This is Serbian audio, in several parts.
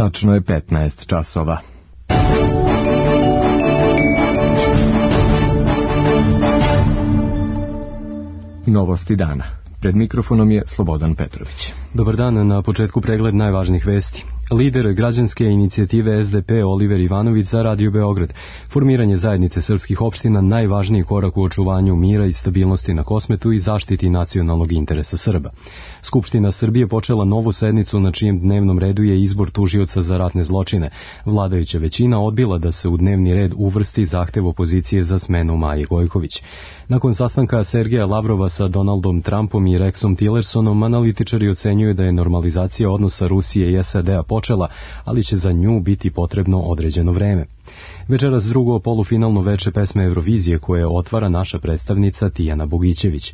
Tačno je 15 časova. Novosti dana. Pred mikrofonom je Slobodan Petrović. Dobar dan, na početku pregled najvažnijih vesti. Lider građanske inicijative SDP Oliver Ivanović za Radio Beograd. Formiranje zajednice srpskih opština najvažniji korak u očuvanju mira i stabilnosti na Kosmetu i zaštiti nacionalnog interesa Srba. Skupština Srbije počela novu sednicu na čijem dnevnom redu je izbor tužioca za ratne zločine. Vladajuća većina odbila da se u dnevni red uvrsti zahtev opozicije za smenu Maje Gojković. Nakon sastanka Sergeja Lavrova sa Donaldom Trumpom i Rexom Tillersonom, analitičari ocenjuju da je normalizacija odnosa Rusije i SAD-a počela, ali će za nju biti potrebno određeno vreme. Večeras drugo polufinalno veče pesme Eurovizije koje otvara naša predstavnica Tijana Bogićević.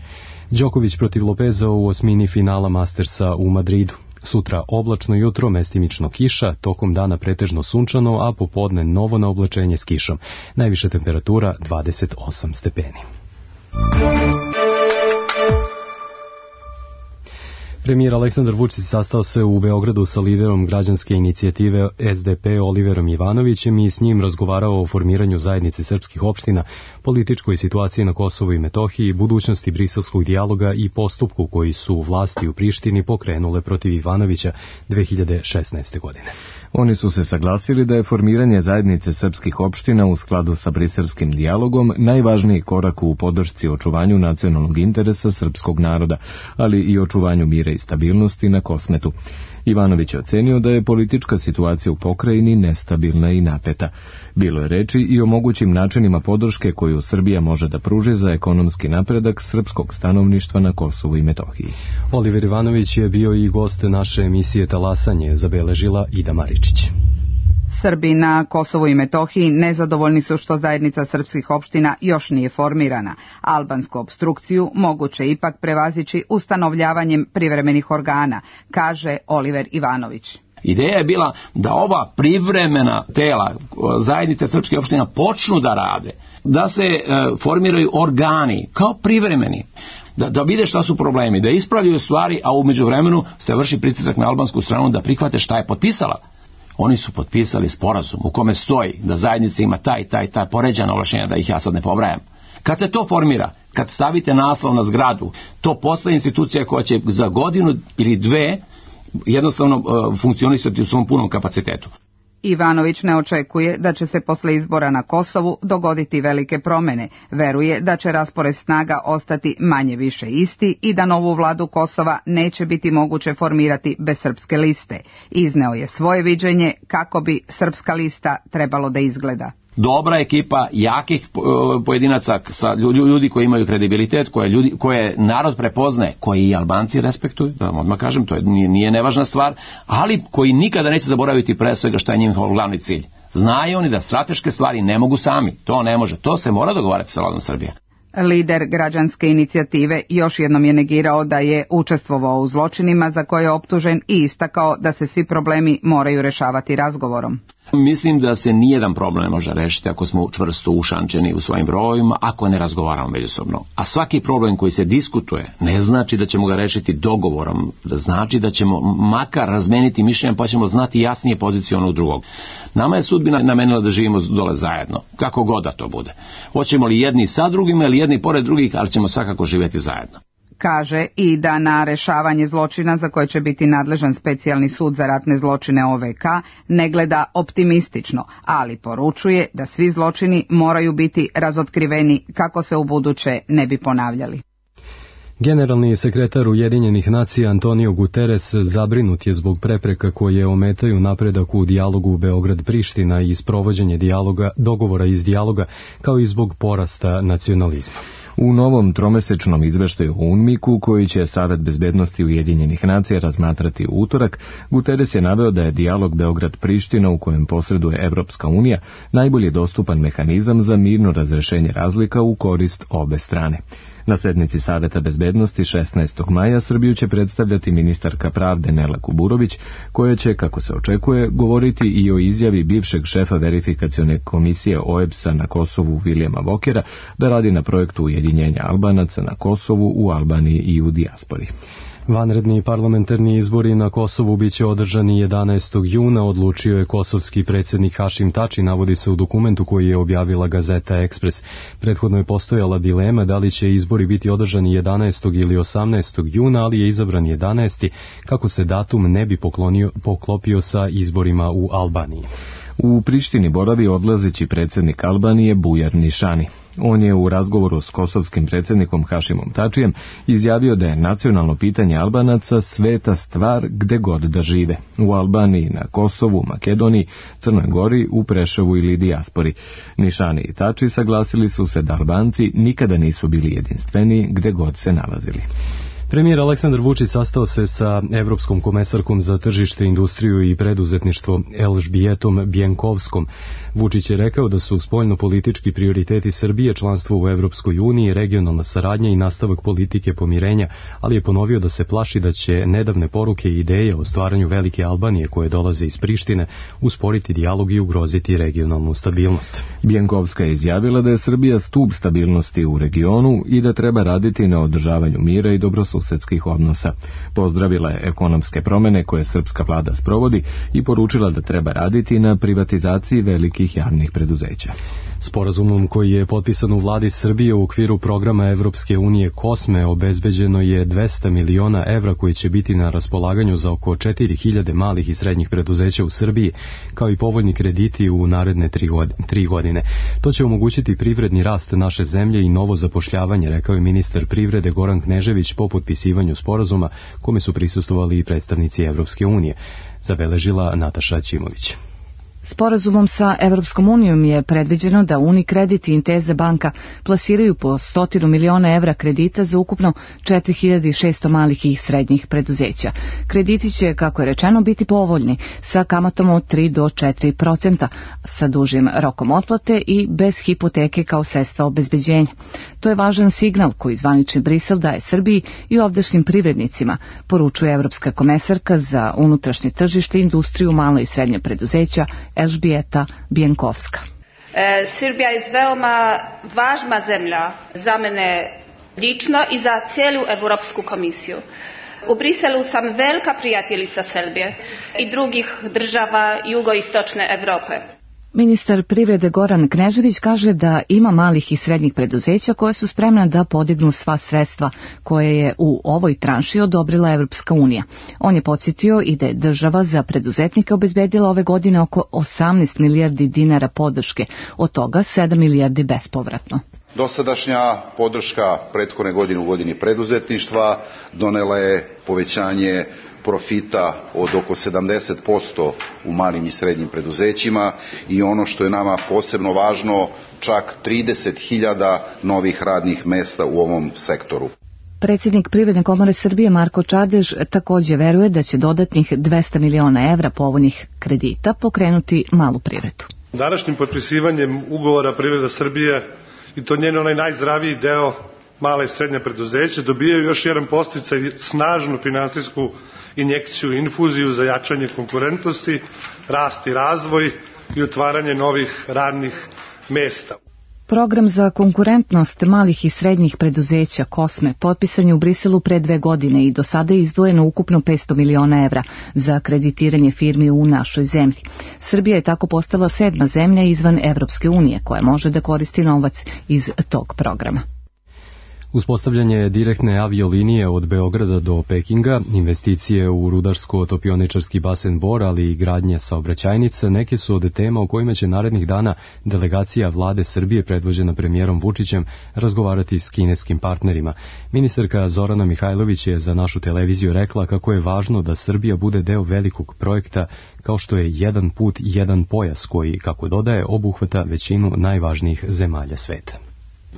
Đoković protiv Lopeza u osmini finala Mastersa u Madridu. Sutra oblačno jutro, mestimično kiša, tokom dana pretežno sunčano, a popodne novo na oblačenje s kišom. Najviša temperatura 28 stepeni. Premijer Aleksandar Vučić sastao se u Beogradu sa liderom građanske inicijative SDP Oliverom Ivanovićem i s njim razgovarao o formiranju zajednice srpskih opština, političkoj situaciji na Kosovu i Metohiji, budućnosti briselskog dijaloga i postupku koji su vlasti u Prištini pokrenule protiv Ivanovića 2016. godine. Oni su se saglasili da je formiranje zajednice srpskih opština u skladu sa briselskim dijalogom najvažniji korak u podršci očuvanju nacionalnog interesa srpskog naroda, ali i očuvanju mira i stabilnosti na Kosmetu. Ivanović je ocenio da je politička situacija u pokrajini nestabilna i napeta. Bilo je reči i o mogućim načinima podrške koju Srbija može da pruži za ekonomski napredak srpskog stanovništva na Kosovu i Metohiji. Oliver Ivanović je bio i gost naše emisije Talasanje, zabeležila Ida Maričić. Srbi na Kosovu i Metohiji nezadovoljni su što zajednica srpskih opština još nije formirana. Albansku opstrukciju moguće ipak prevazići ustanovljavanjem privremenih organa, kaže Oliver Ivanović. Ideja je bila da ova privremena tela zajednice srpskih opština počnu da rade, da se formiraju organi kao privremeni, da vide šta su problemi, da ispravljaju stvari, a u međuvremenu se vrši pritisak na albansku stranu da prihvate šta je potpisala. Oni su potpisali sporazum u kome stoji da zajednica ima ta poređana ovlašćenja, da ih ja sad ne pobrajam. Kad se to formira, kad stavite naslov na zgradu, to postaje institucija koja će za godinu ili dve jednostavno funkcionisati u svom punom kapacitetu. Ivanović ne očekuje da će se posle izbora na Kosovu dogoditi velike promene. Veruje da će raspored snaga ostati manje više isti i da novu vladu Kosova neće biti moguće formirati bez srpske liste. Izneo je svoje viđenje kako bi srpska lista trebalo da izgleda. Dobra ekipa jakih pojedinaca, sa ljudi koji imaju kredibilitet, koje narod prepoznaje, koji i Albanci respektuju, da vam odmah kažem, to nije nevažna stvar, ali koji nikada neće zaboraviti pre svega šta je njihov glavni cilj. Znaju oni da strateške stvari ne mogu sami, to ne može, to se mora dogovarati sa vladom Srbije. Lider građanske inicijative još jednom je negirao da je učestvovao u zločinima za koje je optužen i istakao da se svi problemi moraju rešavati razgovorom. Mislim da se nijedan problem ne može rešiti ako smo čvrsto ušančeni u svojim brojevima, ako ne razgovaramo međusobno. A svaki problem koji se diskutuje ne znači da ćemo ga rešiti dogovorom, znači da ćemo makar razmeniti mišljenja pa ćemo znati jasnije poziciju onog drugog. Nama je sudbina namenila da živimo dole zajedno, kako god da to bude. Hoćemo li jedni sa drugima ili jedni pored drugih, ali ćemo svakako živjeti zajedno. Kaže i da na rešavanje zločina za koje će biti nadležan specijalni sud za ratne zločine OVK ne gleda optimistično, ali poručuje da svi zločini moraju biti razotkriveni kako se u buduće ne bi ponavljali. Generalni sekretar Ujedinjenih nacija Antonio Guterres zabrinut je zbog prepreka koje ometaju napredak u dijalogu Beograd-Priština i sprovođenje dogovora iz dijaloga, kao i zbog porasta nacionalizma. U novom tromesečnom izveštaju o UNMIK-u, koji će Savet bezbednosti Ujedinjenih nacija razmatrati u utorak, Guterres je naveo da je dijalog Beograd-Priština, u kojem posreduje Evropska unija, najbolji dostupan mehanizam za mirno razrešenje razlika u korist obe strane. Na sednici Saveta bezbednosti 16. maja Srbiju će predstavljati ministarka pravde Nela Kuburović, koja će, kako se očekuje, govoriti i o izjavi bivšeg šefa verifikacione komisije OEBS-a na Kosovu Vilijama Vokera da radi na projektu ujedinjenja Albanaca na Kosovu, u Albaniji i u dijaspori. Vanredni parlamentarni izbori na Kosovu biće održani 11. juna, odlučio je kosovski predsjednik Hašim Tači, navodi se u dokumentu koji je objavila gazeta Ekspres. Prethodno je postojala dilema da li će izbori biti održani 11. ili 18. juna, ali je izabran 11. kako se datum ne bi poklopio sa izborima u Albaniji. U Prištini boravi odlazeći predsjednik Albanije Bujar Nišani. On je u razgovoru s kosovskim predsjednikom Hašimom Tačijem izjavio da je nacionalno pitanje Albanaca sveta stvar gde god da žive. U Albaniji, na Kosovu, Makedoniji, Crnoj Gori, u Preševu ili dijaspori. Nišani i Tači saglasili su se da Albanci nikada nisu bili jedinstveni gde god se nalazili. Premijer Aleksandar Vučić sastao se sa Evropskom komesarkom za tržište, industriju i preduzetništvo Elžbijetom Bjenkovskom. Vučić je rekao da su spoljnopolitički prioriteti Srbije članstvo u Evropskoj uniji, regionalna saradnja i nastavak politike pomirenja, ali je ponovio da se plaši da će nedavne poruke i ideje o stvaranju velike Albanije koje dolaze iz Prištine usporiti dijalog i ugroziti regionalnu stabilnost. Bjenkovska je izjavila da je Srbija stub stabilnosti u regionu i da treba raditi na održavanju mira i dobrosusedskih odnosa. Pozdravila je ekonomske promjene koje srpska vlada sprovodi i poručila da treba raditi na privatizaciji velikih javnih preduzeća. Sporazumom koji je potpisan u vladi Srbije u okviru programa Evropske unije COSME obezbeđeno je 200 miliona evra koji će biti na raspolaganju za oko 4000 malih i srednjih preduzeća u Srbiji, kao i povoljni krediti u naredne 3 godine. To će omogućiti privredni rast naše zemlje i novo zapošljavanje, rekao je ministar privrede Goran Knežević po potpisivanju sporazuma, kome su prisustvovali i predstavnici Evropske unije, zabeležila Nataša Ćimović. Sporazumom sa Evropskom unijom je predviđeno da Unicredit i Intesa banka plasiraju po 100 miliona evra kredita za ukupno 4600 malih i srednjih preduzeća. Krediti će, kako je rečeno, biti povoljni, sa kamatom od 3 do 4%, sa dužim rokom otplate i bez hipoteke kao sredstva obezbeđenja. To je važan signal koji zvanični Brisel daje Srbiji i ovdašnjim privrednicima, poručuje Evropska komesarka za unutrašnje tržište, industriju, mala i srednja preduzeća Elžbijeta Bjenkovska. Srbija je veoma važna zemlja za mene lično i za cijelu Evropsku komisiju. U Briselu sam velika prijateljica Srbije i drugih država jugoistočne Evrope. Ministar privrede Goran Knežević kaže da ima malih i srednjih preduzeća koje su spremna da podignu sva sredstva koje je u ovoj tranši odobrila Evropska unija. On je podsjetio i da je država za preduzetnike obezbedila ove godine oko 18 milijardi dinara podrške, od toga 7 milijardi bespovratno. Dosadašnja podrška prethodne godine u godini preduzetništva donela je povećanje profita od oko 70% u malim i srednjim preduzećima i ono što je nama posebno važno, čak 30.000 novih radnih mesta u ovom sektoru. Predsjednik Privredne komore Srbije Marko Čadež također veruje da će dodatnih 200 miliona evra povoljnih kredita pokrenuti malu privredu. Današnjim potpisivanjem ugovora Privreda Srbije i to njen onaj najzdraviji deo mala i srednja preduzeća dobijaju još jedan podsticaj, snažnu finansijsku injekciju, infuziju za jačanje konkurentnosti, rast i razvoj i otvaranje novih radnih mesta. Program za konkurentnost malih i srednjih preduzeća COSME potpisan je u Briselu pre 2 godine i do sada je izdvojeno ukupno 500 miliona evra za kreditiranje firmi u našoj zemlji. Srbija je tako postala 7. zemlja izvan Evropske unije koja može da koristi novac iz tog programa. Uspostavljanje direktne aviolinije od Beograda do Pekinga, investicije u rudarsko-topioničarski basen Bor, ali i gradnja saobraćajnica, neke su od tema o kojima će narednih dana delegacija vlade Srbije predvođena premijerom Vučićem razgovarati s kineskim partnerima. Ministarka Zorana Mihajlović je za našu televiziju rekla kako je važno da Srbija bude deo velikog projekta kao što je jedan put, jedan pojas koji, kako dodaje, obuhvata većinu najvažnijih zemalja sveta.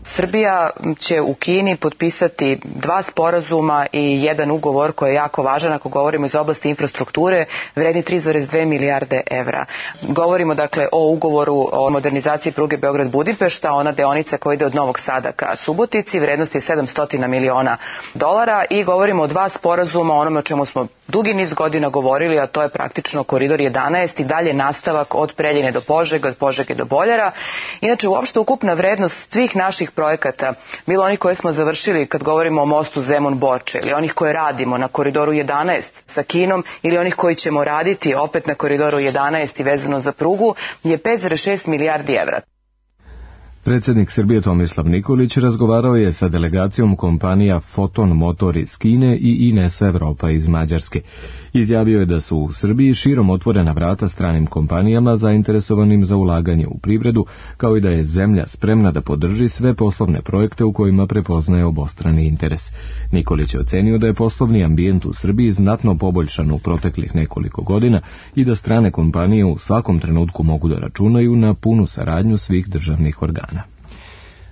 Srbija će u Kini potpisati 2 sporazuma i jedan ugovor koji je jako važan ako govorimo iz oblasti infrastrukture, vredni 3,2 milijarde evra. Govorimo dakle o ugovoru o modernizaciji pruge Beograd-Budimpešta, ona deonica koja ide od Novog Sada ka Subotici, vrednosti je $700 miliona i govorimo o 2 sporazuma, onome o čemu smo dugi niz godina govorili, a to je praktično koridor 11 i dalje nastavak od Preljine do Požege, od Požege do Boljara. Inače, uopšte ukupna vrednost svih naših naših projekata, bilo onih koje smo završili kad govorimo o mostu Zemun-Borča ili onih koje radimo na koridoru 11 sa Kinom ili onih koji ćemo raditi opet na koridoru 11 i vezano za prugu, je 5,6 milijardi evra. Predsjednik Srbije Tomislav Nikolić razgovarao je sa delegacijom kompanija Foton Motor iz Kine i Ines Evropa iz Mađarske. Izjavio je da su u Srbiji širom otvorena vrata stranim kompanijama zainteresovanim za ulaganje u privredu, kao i da je zemlja spremna da podrži sve poslovne projekte u kojima prepoznaje obostrani interes. Nikolić je ocenio da je poslovni ambijent u Srbiji znatno poboljšan u proteklih nekoliko godina i da strane kompanije u svakom trenutku mogu da računaju na punu saradnju svih državnih organa.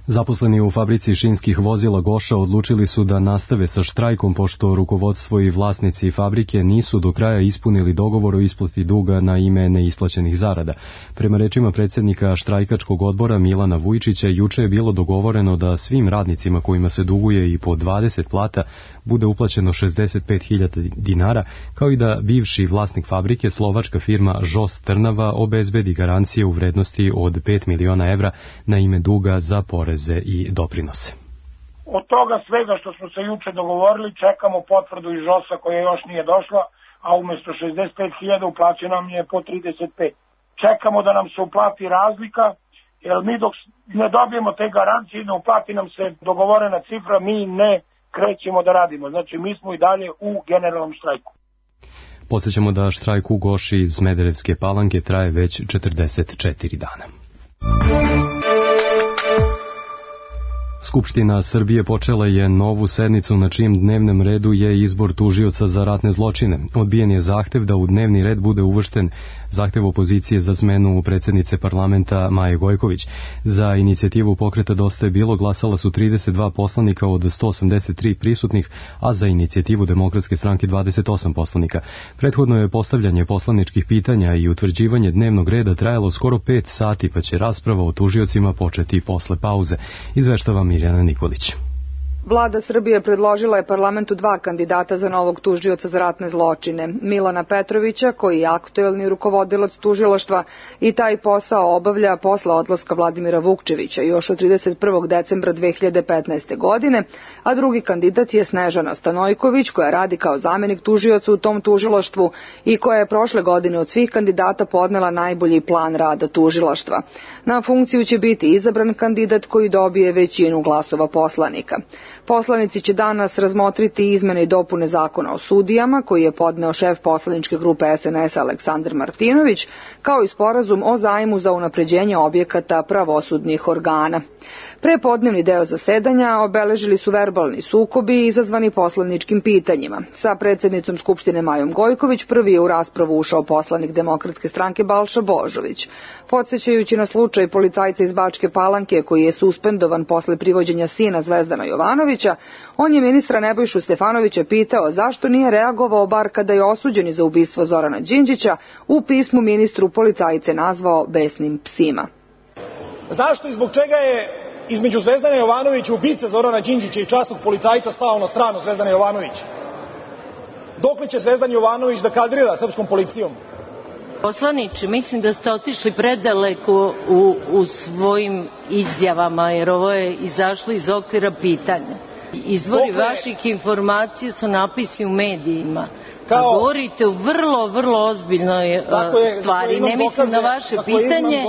Zaposleni u fabrici šinskih vozila Goša odlučili su da nastave sa štrajkom pošto rukovodstvo i vlasnici fabrike nisu do kraja ispunili dogovor o isplati duga na ime neisplaćenih zarada. Prema rečima predsjednika štrajkačkog odbora Milana Vujčića, juče je bilo dogovoreno da svim radnicima kojima se duguje i po 20 plata bude uplaćeno 65.000 dinara, kao i da bivši vlasnik fabrike, slovačka firma Žos Trnava, obezbedi garancije u vrednosti od 5 miliona evra na ime duga za poreze i doprinose. Od toga svega što smo se juče dogovorili, čekamo potvrdu iz Žosa koja još nije došla, a umjesto 65.000 uplaćeno nam je po 35. Čekamo da nam se uplati razlika, jer mi dok ne dobijemo te garancije i ne uplati nam se dogovorena cifra, mi ne krećemo da radimo. Znači mi smo i dalje u generalnom štrajku. Podsjećamo da štrajk u Goši iz Smederevske Palanke traje već 44 dana. Skupština Srbije počela je novu sednicu na čijem dnevnom redu je izbor tužioca za ratne zločine. Odbijen je zahtev da u dnevni red bude uvršten zahtev opozicije za smenu predsjednice parlamenta Maje Gojković. Za inicijativu Pokreta Dosta je bilo glasala su 32 poslanika od 183 prisutnih, a za inicijativu Demokratske stranke 28 poslanika. Prethodno je postavljanje poslaničkih pitanja i utvrđivanje dnevnog reda trajalo skoro 5 sati, pa će rasprava o tužiocima početi posle pauze. Izveštava Mirjana Nikolić. Vlada Srbije predložila je parlamentu 2 kandidata za novog tužioca za ratne zločine. Milana Petrovića, koji je aktuelni rukovodilac tužilaštva i taj posao obavlja posle odlaska Vladimira Vukčevića još od 31. decembra 2015. godine, a drugi kandidat je Snežana Stanojković, koja radi kao zamjenik tužioca u tom tužilaštvu i koja je prošle godine od svih kandidata podnela najbolji plan rada tužilaštva. Na funkciju će biti izabran kandidat koji dobije većinu glasova poslanika. Poslanici će danas razmotriti izmene i dopune zakona o sudijama, koji je podneo šef poslaničke grupe SNS Aleksandar Martinović, kao i sporazum o zajmu za unapređenje objekata pravosudnih organa. Prepodnevni deo zasedanja obeležili su verbalni sukobi izazvani poslaničkim pitanjima. Sa predsjednicom Skupštine Majom Gojković prvi je u raspravu ušao poslanik Demokratske stranke Balša Božović. Podsjećajući na slučaj policajca iz Bačke Palanke koji je suspendovan posle privođenja sina Zvezdana Jovanovića, on je ministra Nebojšu Stefanovića pitao zašto nije reagovao bar kada je osuđeni za ubistvo Zorana Đinđića, u pismu ministru policajce nazvao besnim psima. Zašto i zbog čega je između Zvezdana Jovanovića, ubice Zorana Đinđića i časnog policajca stao na stranu Zvezdana Jovanovića? Dokle će Zvezdan Jovanović da kadrira srpskom policijom? Poslaniče, mislim da ste otišli predaleko u svojim izjavama, jer ovo je izašlo iz okvira pitanja. Izvori vaših informacija su napisi u medijima. Govorite o vrlo ozbiljnoj stvari. Ne mislim na vaše pitanje.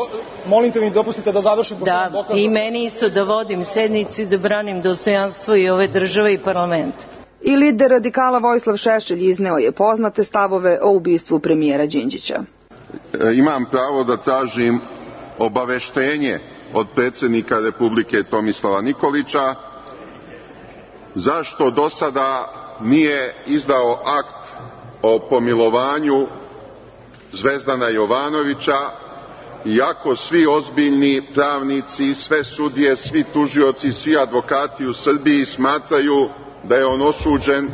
Molim te mi dopustite da završim. Da, i meni isto da vodim sednicu i da branim dostojanstvo i ove države i parlamenta. I lider radikala Vojislav Šešelj izneo je poznate stavove o ubistvu premijera Đinđića. Imam pravo da tražim obaveštenje od predsjednika Republike Tomislava Nikolića zašto do sada nije izdao akt o pomilovanju Zvezdana Jovanovića, iako svi ozbiljni pravnici, sve sudije, svi tužioci, svi advokati u Srbiji smatraju da je on osuđen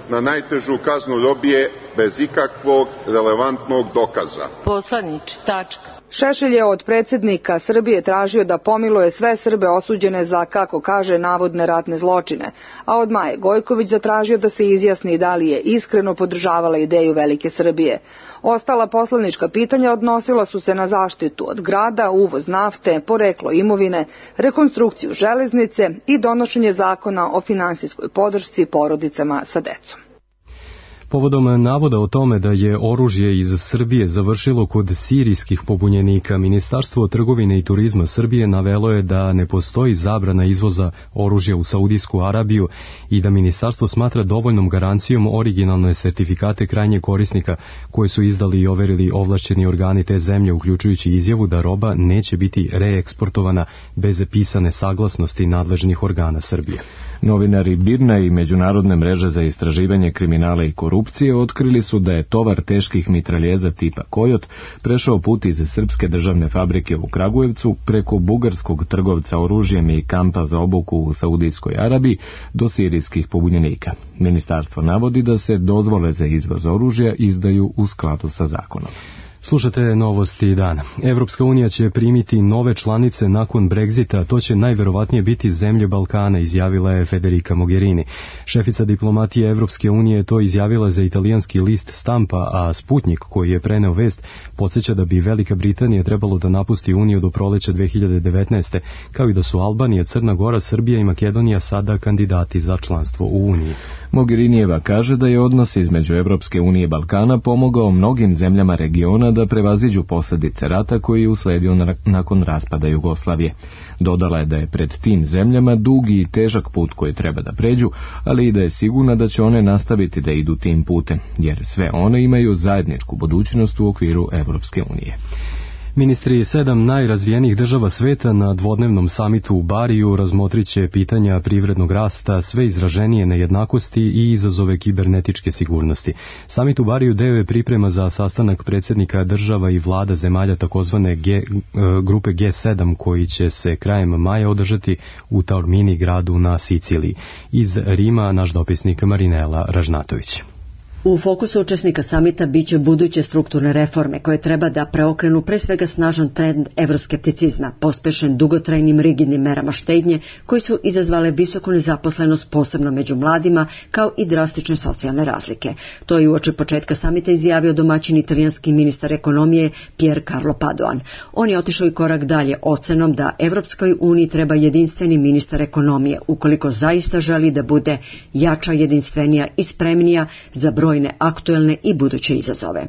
na najtežu kaznu robije bez ikakvog relevantnog dokaza. Poslaniče, tačka. Šešelj je od predsjednika Srbije tražio da pomiluje sve Srbe osuđene za, kako kaže, navodne ratne zločine, a od Maje Gojković zatražio da se izjasni da li je iskreno podržavala ideju Velike Srbije. Ostala poslanička pitanja odnosila su se na zaštitu od grada, uvoz nafte, poreklo imovine, rekonstrukciju železnice i donošenje zakona o finansijskoj podršci porodicama sa decom. Povodom navoda o tome da je oružje iz Srbije završilo kod sirijskih pobunjenika, Ministarstvo trgovine i turizma Srbije navelo je da ne postoji zabrana izvoza oružja u Saudijsku Arabiju i da ministarstvo smatra dovoljnom garancijom originalne sertifikate krajnjeg korisnika koje su izdali i overili ovlašćeni organi te zemlje, uključujući izjavu da roba neće biti reeksportovana bez pisane saglasnosti nadležnih organa Srbije. Novinari BIRN-a i Međunarodne mreže za istraživanje kriminala i korupcije otkrili su da je tovar teških mitraljeza tipa Kojot prešao put iz srpske državne fabrike u Kragujevcu preko bugarskog trgovca oružjem i kampa za obuku u Saudijskoj Arabiji do sirijskih pobunjenika. Ministarstvo navodi da se dozvole za izvoz oružja izdaju u skladu sa zakonom. Slušate novosti dana. Evropska unija će primiti nove članice nakon Brexita, to će najverovatnije biti zemlje Balkana, izjavila je Federica Mogherini. Šefica diplomatije Evropske unije to izjavila za italijanski list Stampa, a Sputnik, koji je preneo vest, podsjeća da bi Velika Britanija trebalo da napusti Uniju do proleća 2019. kao i da su Albanija, Crna Gora, Srbija i Makedonija sada kandidati za članstvo u Uniji. Mogherinijeva kaže da je odnos između Evropske unije i Balkana pomogao mnogim zemljama regiona da prevaziđu posljedice rata koji je usledio nakon raspada Jugoslavije. Dodala je da je pred tim zemljama dugi i težak put koji treba da pređu, ali i da je sigurna da će one nastaviti da idu tim putem, jer sve one imaju zajedničku budućnost u okviru Evropske unije. Ministri 7 najrazvijenijih država sveta na dvodnevnom samitu u Bariju razmotrit će pitanja privrednog rasta, sve izraženije nejednakosti i izazove kibernetičke sigurnosti. Samit u Bariju deo je priprema za sastanak predsjednika država i vlada zemalja takozvane grupe G7 koji će se krajem maja održati u Taormini, gradu na Siciliji. Iz Rima naš dopisnik Marinela Ražnatović. U fokusu učesnika samita biće buduće strukturne reforme koje treba da preokrenu pre svega snažan trend evroskepticizma, pospešen dugotrajnim rigidnim merama štednje koji su izazvale visoku nezaposlenost posebno među mladima kao i drastične socijalne razlike. To je uoči početka samita izjavio domaćin italijanski ministar ekonomije Pier Carlo Padoan. On je otišao i korak dalje ocenom da Evropskoj uniji treba jedinstveni ministar ekonomije ukoliko zaista želi da bude jača, jedinstvenija i spremnija za brojne aktuelne i buduće izazove.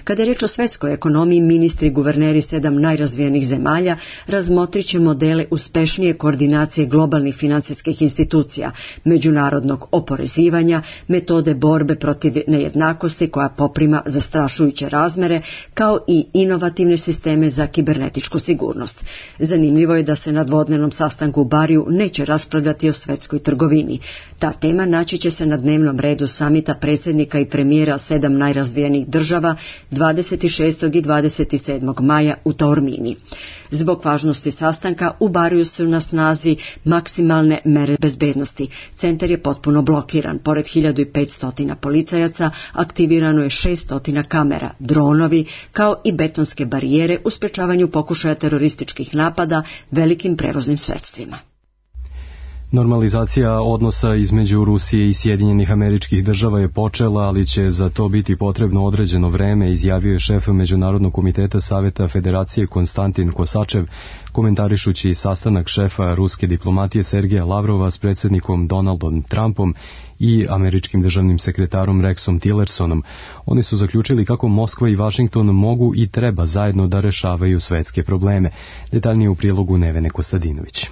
Kada je reč o svetskoj ekonomiji, ministri i guverneri 7 najrazvijenijih zemalja razmotrit će modele uspešnije koordinacije globalnih finansijskih institucija, međunarodnog oporezivanja, metode borbe protiv nejednakosti koja poprima zastrašujuće razmere, kao i inovativne sisteme za kibernetičku sigurnost. Zanimljivo je da se na dvodnevnom sastanku u Bariju neće raspravljati o svetskoj trgovini. Ta tema naći će se na dnevnom redu samita predsjednika i premijera 7 najrazvijenijih država 26. i 27. maja u Taormini. Zbog važnosti sastanka u Bariju su na snazi maksimalne mere bezbednosti. Centar je potpuno blokiran. Pored 1500 policajaca aktivirano je 600 kamera, dronovi, kao i betonske barijere u sprečavanju pokušaja terorističkih napada velikim prevoznim sredstvima. Normalizacija odnosa između Rusije i Sjedinjenih Američkih Država je počela, ali će za to biti potrebno određeno vreme, izjavio je šef Međunarodnog komiteta Saveta Federacije Konstantin Kosačev, komentarišući sastanak šefa ruske diplomatije Sergeja Lavrova s predsjednikom Donaldom Trumpom i američkim državnim sekretarom Rexom Tillersonom. Oni su zaključili kako Moskva i Vašington mogu i treba zajedno da rešavaju svetske probleme. Detaljnije u prilogu Nevene Kostadinović.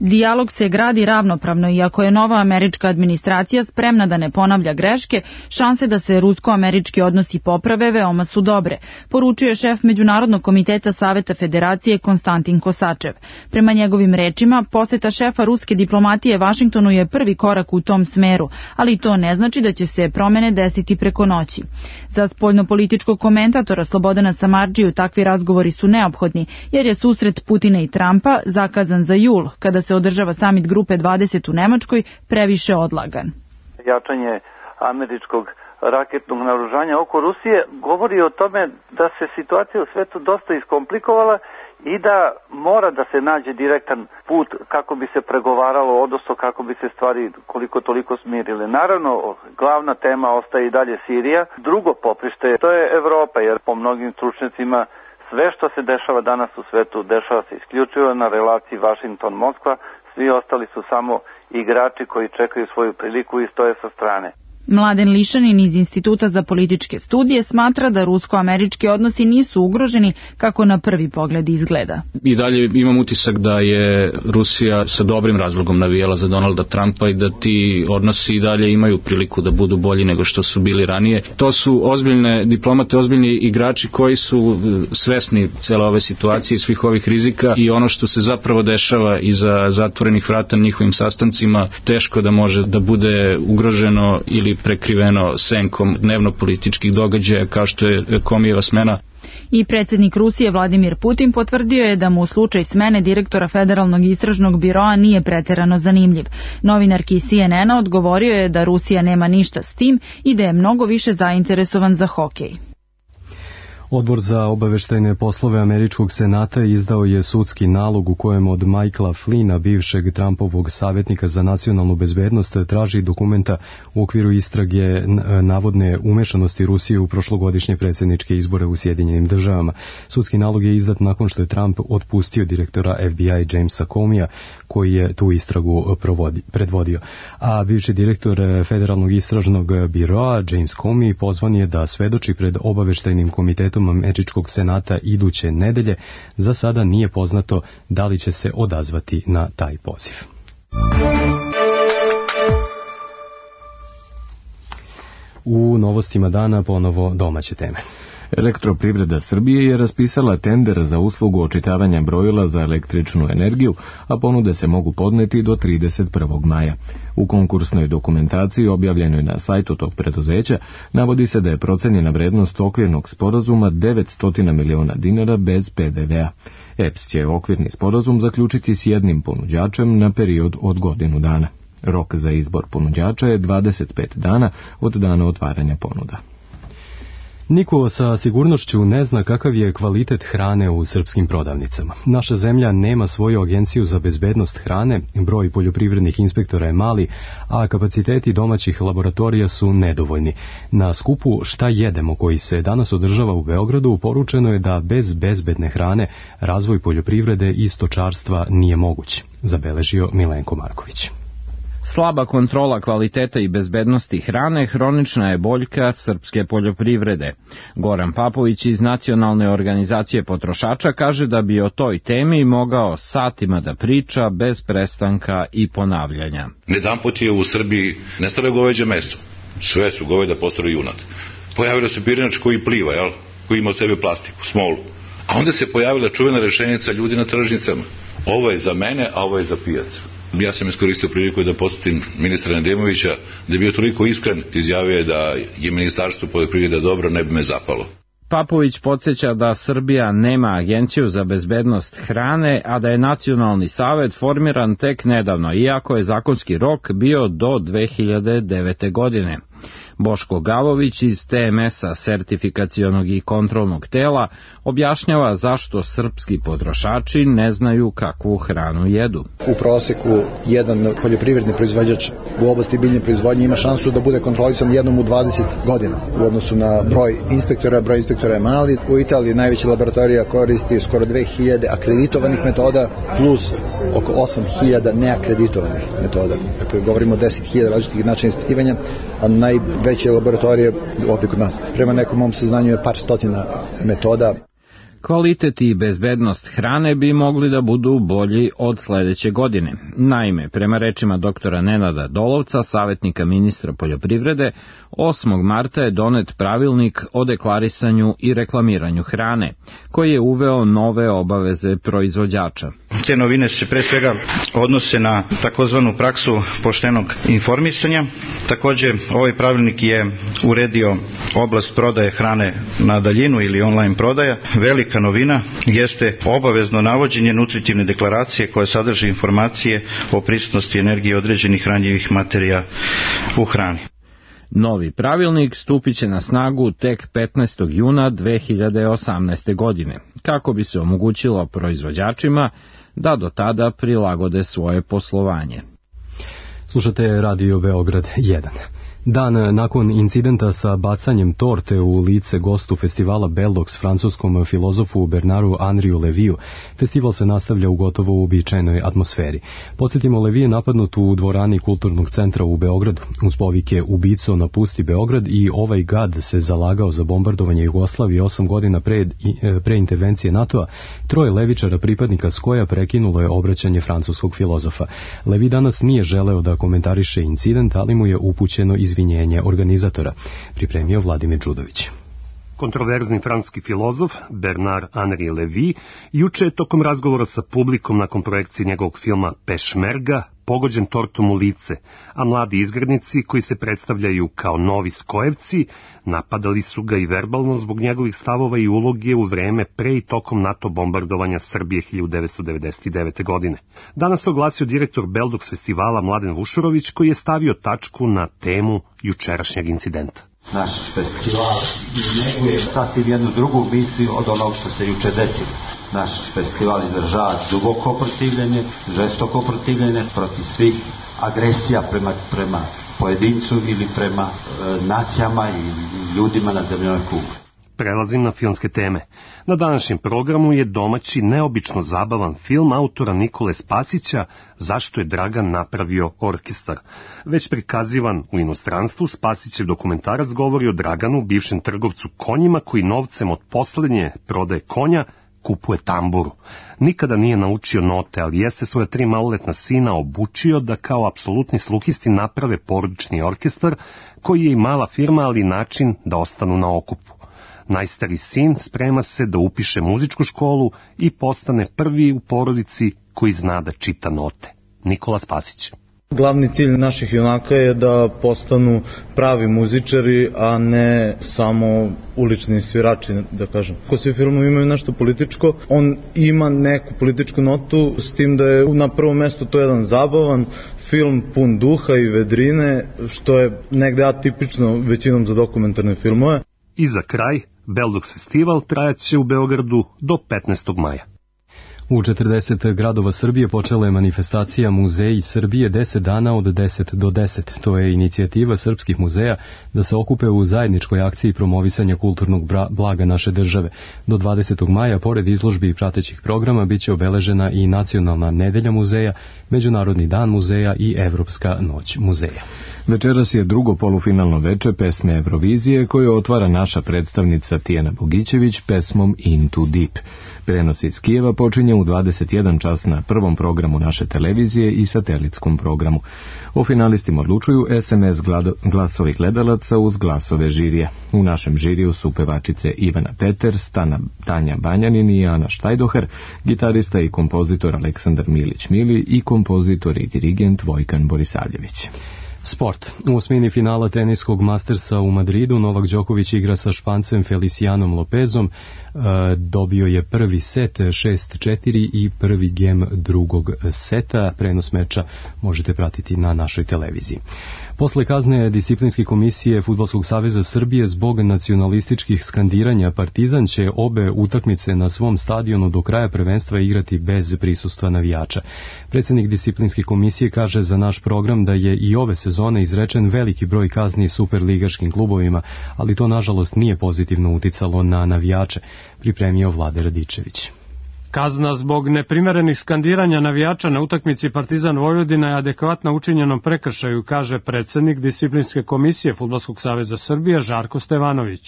Dijalog se gradi ravnopravno i ako je nova američka administracija spremna da ne ponavlja greške, šanse da se rusko-američki odnosi poprave veoma su dobre, poručuje šef Međunarodnog komiteta Saveta Federacije Konstantin Kosačev. Prema njegovim rečima, poseta šefa ruske diplomatije Vašingtonu je prvi korak u tom smeru, ali to ne znači da će se promene desiti preko noći. Za spoljnopolitičkog komentatora Slobodana Samardžiju takvi razgovori su neophodni, jer je susret Putina i Trumpa zakazan za jul, kada se održava samit grupe 20 u Nemačkoj, previše odlagan. Jačanje američkog raketnog naoružanja oko Rusije, govori o tome da se situacija u svetu dosta iskomplikovala i da mora da se nađe direktan put kako bi se pregovaralo, odnosno kako bi se stvari koliko toliko smirile. Naravno, glavna tema ostaje i dalje Sirija. Drugo poprište, to je Evropa, jer po mnogim stručnjacima sve što se dešava danas u svetu, dešava se isključivo na relaciji Vašington-Moskva, svi ostali su samo igrači koji čekaju svoju priliku i stoje sa strane. Mladen Lišanin iz Instituta za političke studije smatra da rusko-američki odnosi nisu ugroženi kako na prvi pogled izgleda. I dalje imam utisak da je Rusija sa dobrim razlogom navijala za Donalda Trumpa i da ti odnosi i dalje imaju priliku da budu bolji nego što su bili ranije. To su ozbiljne diplomate, ozbiljni igrači koji su svesni cele ove situacije i svih ovih rizika i ono što se zapravo dešava iza zatvorenih vrata na njihovim sastancima teško da može da bude ugroženo ili prekriveno senkom dnevno-političkih događaja kao što je Komijeva smena. I predsjednik Rusije Vladimir Putin potvrdio je da mu slučaj smene direktora Federalnog istražnog biroa nije pretjerano zanimljiv. Novinarki CNN-a odgovorio je da Rusija nema ništa s tim i da je mnogo više zainteresovan za hokej. Odbor za obaveštajne poslove Američkog senata izdao je sudski nalog u kojem od Michaela Flynna, bivšeg Trumpovog savjetnika za nacionalnu bezbednost, traži dokumenta u okviru istrage navodne umešanosti Rusije u prošlogodišnje predsjedničke izbore u Sjedinjenim državama. Sudski nalog je izdat nakon što je Trump otpustio direktora FBI Jamesa Comeyja, koji je tu istragu predvodio. A bivši direktor Federalnog istražnog biroa James Comey pozvan je da svedoči pred obaveštajnim komitetom Američkog senata iduće nedelje. Za sada nije poznato da li će se odazvati na taj poziv. U novostima dana ponovo domaće teme. Elektroprivreda Srbije je raspisala tender za uslugu očitavanja brojila za električnu energiju, a ponude se mogu podneti do 31. maja. U konkursnoj dokumentaciji objavljenoj na sajtu tog preduzeća navodi se da je procenjena vrednost okvirnog sporazuma 900 miliona dinara bez PDV-a. EPS će okvirni sporazum zaključiti s jednim ponuđačem na period od godinu dana. Rok za izbor ponuđača je 25 dana od dana otvaranja ponuda. Niko sa sigurnošću ne zna kakav je kvalitet hrane u srpskim prodavnicama. Naša zemlja nema svoju agenciju za bezbednost hrane, broj poljoprivrednih inspektora je mali, a kapaciteti domaćih laboratorija su nedovoljni. Na skupu Šta jedemo, koji se danas održava u Beogradu, poručeno je da bez bezbedne hrane razvoj poljoprivrede i stočarstva nije moguć, zabeležio Milenko Marković. Slaba kontrola kvaliteta i bezbednosti hrane hronična je boljka srpske poljoprivrede. Goran Papović iz Nacionalne organizacije potrošača kaže da bi o toj temi mogao satima da priča bez prestanka i ponavljanja. Jedanput je u Srbiji nestalo goveđe meso. Sve su goveda postali junad. Pojavio se pirinač koji pliva, koji ima od sebe plastiku, smolu. A onda se pojavila čuvena rečenica ljudi na tržnicama. Ovo je za mene, a ovo je za pijacu. Ja sam iskoristio priliku da posjetim ministra Nedemovića, da je bio toliko iskren, izjavio da je ministarstvo poljoprivrede dobro, ne bi me zapalo. Papović podsjeća da Srbija nema agenciju za bezbednost hrane, a da je Nacionalni savet formiran tek nedavno, iako je zakonski rok bio do 2009. godine. Boško Gavović iz TMS-a, sertifikacionog i kontrolnog tela, objašnjava zašto srpski potrošači ne znaju kakvu hranu jedu. U proseku jedan poljoprivredni proizvođač u oblasti biljne proizvodnje ima šansu da bude kontrolisan jednom u 20 godina u odnosu na broj inspektora je mali. U Italiji najveća laboratorija koristi skoro 2000 akreditovanih metoda plus oko 8000 neakreditovanih metoda. Dakle, govorimo o 10.000 različitih načina ispitivanja, a najveće laboratorije ovdje kod nas. Prema nekom mom saznanju je par stotina metoda. Kvalitet i bezbednost hrane bi mogli da budu bolji od sledeće godine. Naime, prema rečima doktora Nenada Dolovca, savjetnika ministra poljoprivrede, 8. marta je donet pravilnik o deklarisanju i reklamiranju hrane, koji je uveo nove obaveze proizvođača. Te novine se pre svega odnose na takozvanu praksu poštenog informisanja. Također, ovaj pravilnik je uredio oblast prodaje hrane na daljinu ili online prodaja. Velika novina jeste obavezno navođenje nutritivne deklaracije koja sadrži informacije o prisutnosti energije određenih hranjivih materija u hrani. Novi pravilnik stupit će na snagu tek 15. juna 2018. godine, kako bi se omogućilo proizvođačima da do tada prilagode svoje poslovanje. Slušate Radio Beograd 1. Dan nakon incidenta sa bacanjem torte u lice gostu festivala Beldox francuskom filozofu Bernardu Henriu Leviju, festival se nastavlja u gotovo uobičajenoj atmosferi. Podsjetimo, Levi je napadnut u dvorani Kulturnog centra u Beogradu. Uz povike "Ubico, napusti Beograd" i "Ovaj gad se zalagao za bombardovanje Jugoslavije 8 godina pre intervencije NATO-a", troje levičara pripadnika Skoja prekinulo je obraćanje francuskog filozofa. Levi danas nije želeo da komentariše incident, ali mu je upućeno izvinjenje organizatora, pripremio Vladimir Đudović. Kontroverzni francuski filozof Bernard Henri Levy juče je tokom razgovora sa publikom nakon projekcije njegovog filma Pešmerga pogođen tortom u lice, a mladi izgrednici koji se predstavljaju kao novi Skojevci napadali su ga i verbalno zbog njegovih stavova i uloge u vreme pre i tokom NATO bombardovanja Srbije 1999. godine. Danas se oglasio direktor Beldox festivala Mladen Vušurović, koji je stavio tačku na temu jučerašnjeg incidenta. Naš festival neguje sasvim jednu drugu misiju od onog što se juče desilo. Naš festival izražava duboko protivljenje, žestoko protivljenje protiv svih agresija prema pojedincu ili prema nacijama i ljudima na zemljinoj kugli. Prelazim na filmske teme. Na današnjem programu je domaći neobično zabavan film autora Nikole Spasića "Zašto je Dragan napravio orkestar". Već prikazivan u inostranstvu, Spasićev dokumentarac govori o Draganu, bivšem trgovcu konjima, koji novcem od poslednje prodaje konja kupuje tamburu. Nikada nije naučio note, ali jeste svoja 3 maloletna sina obučio da kao apsolutni sluhisti naprave porodični orkestar, koji je i mala firma, ali način da ostanu na okupu. Najstari sin sprema se da upiše muzičku školu i postane prvi u porodici koji zna da čita note. Nikola Spasić. Glavni cilj naših junaka je da postanu pravi muzičari, a ne samo ulični svirači, da kažem. Ako svi filmovi imaju nešto političko, on ima neku političku notu, s tim da je na prvom mestu to jedan zabavan film pun duha i vedrine, što je negde atipično većinom za dokumentarne filmove. I za kraj, Beldox festival trajaće u Beogradu do 15. maja. U 40 gradova Srbije počela je manifestacija Muzeji Srbije 10 dana od 10 do 10. To je inicijativa srpskih muzeja da se okupe u zajedničkoj akciji promovisanja kulturnog blaga naše države. Do 20. maja, pored izložbi i pratećih programa, biće obeležena i Nacionalna nedelja muzeja, Međunarodni dan muzeja i Evropska noć muzeja. Večeras je drugo polufinalno veče pesme Eurovizije koju otvara naša predstavnica Tijana Bogićević pesmom Into Deep. Prenos iz Kijeva počinje u 21 čas na prvom programu naše televizije i satelitskom programu. O finalistima odlučuju SMS glasovi gledalaca uz glasove žirija. U našem žiriju su pevačice Ivana Peters, Tanja Banjanin i Ana Štajdohar, gitarista i kompozitor Aleksandar Milić-Mili i kompozitor i dirigent Vojkan Borisavljević. Sport. U osmini finala teniskog Mastersa u Madridu Novak Đoković igra sa Špancem Felicianom Lopezom. Dobio je prvi set 6-4 i prvi gem drugog seta. Prenos meča možete pratiti na našoj televiziji. Posle kazne disciplinske komisije Fudbalskog saveza Srbije zbog nacionalističkih skandiranja, Partizan će obe utakmice na svom stadionu do kraja prvenstva igrati bez prisustva navijača. Predsjednik disciplinske komisije kaže za naš program da je i ove sezone izrečen veliki broj kazni superligaškim klubovima, ali to nažalost nije pozitivno uticalo na navijače, pripremio Vlade Radičević. Kazna zbog neprimerenih skandiranja navijača na utakmici Partizan Vojvodina je adekvatna učinjenom prekršaju, kaže predsjednik disciplinske komisije Fudbalskog saveza Srbije Žarko Stevanović.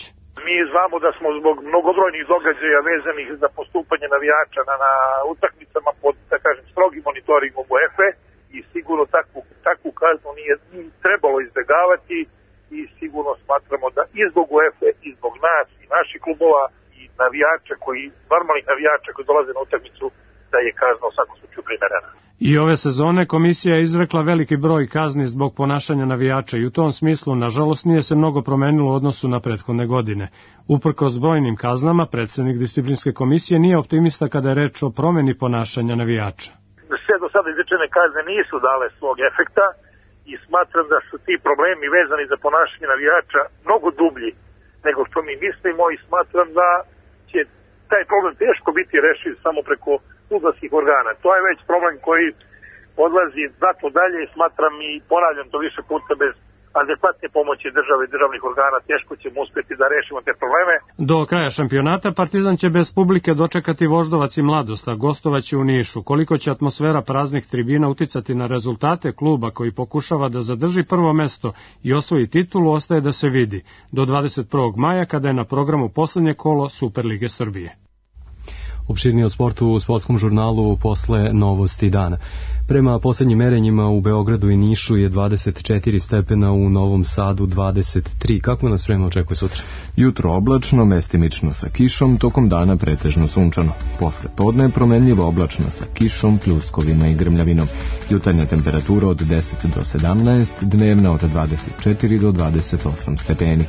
Mi znamo da smo zbog mnogobrojnih događaja vezanih za postupanje navijača na utakmicama pod, da kažem, strogim monitoringom UEFA i sigurno takvu kaznu nije trebalo izbjegavati i sigurno smatramo da i zbog UEFA i zbog nas i naših klubova navijača normalnih navijača koji dolaze na utakmicu, da je kazna u svakom slučaju primerena. I ove sezone komisija je izrekla veliki broj kazni zbog ponašanja navijača i u tom smislu, nažalost, nije se mnogo promenilo u odnosu na prethodne godine. Uprkos brojnim kaznama, predsjednik disciplinske komisije nije optimista kada je reč o promeni ponašanja navijača. Sve do sada izrečene kazne nisu dale svog efekta i smatram da su ti problemi vezani za ponašanje navijača mnogo dublji nego što mi mislimo i smatram da će taj problem teško biti rešiv samo preko fudbalskih organa. To je već problem koji odlazi znatno dalje i smatram i ponavljam to više puta bez adekvatne pomoći države i državnih organa teško ćemo uspjeti da rešimo te probleme. Do kraja šampionata Partizan će bez publike dočekati Voždovac i Mladost, a gostovaće u Nišu. Koliko će atmosfera praznih tribina uticati na rezultate kluba koji pokušava da zadrži prvo mesto i osvoji titulu, ostaje da se vidi do 21. maja kada je na programu poslednje kolo Superlige Srbije. Opširnije o sportu u sportskom žurnalu posle novosti dana. Prema poslednjim merenjima u Beogradu i Nišu je 24 stepena, u Novom Sadu 23. Kako nas vreme očekuje sutra? Jutro oblačno, mestimično sa kišom, tokom dana pretežno sunčano. Posle podne promenljivo oblačno sa kišom, pljuskovima i grmljavinom. Jutarnja temperatura od 10 do 17, dnevna od 24 do 28 stepeni.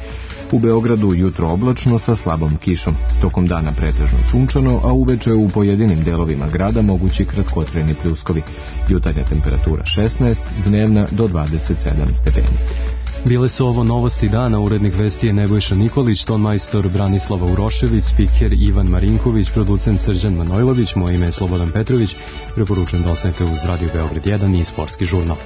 U Beogradu jutro oblačno sa slabom kišom, tokom dana pretežno sunčano, a uveče u pojedinim delovima grada mogući kratkotrajni pljuskovi. Jutarnja temperatura 16, dnevna do 27 stepeni. Bile su ovo novosti dana, urednik vesti je Nebojša Nikolić, ton majstor Branislava Urošević, spiker Ivan Marinković, producent Srđan Manojlović, moje ime je Slobodan Petrović, preporučujem da ostanete uz Radio Beograd 1 i Sportski žurnal.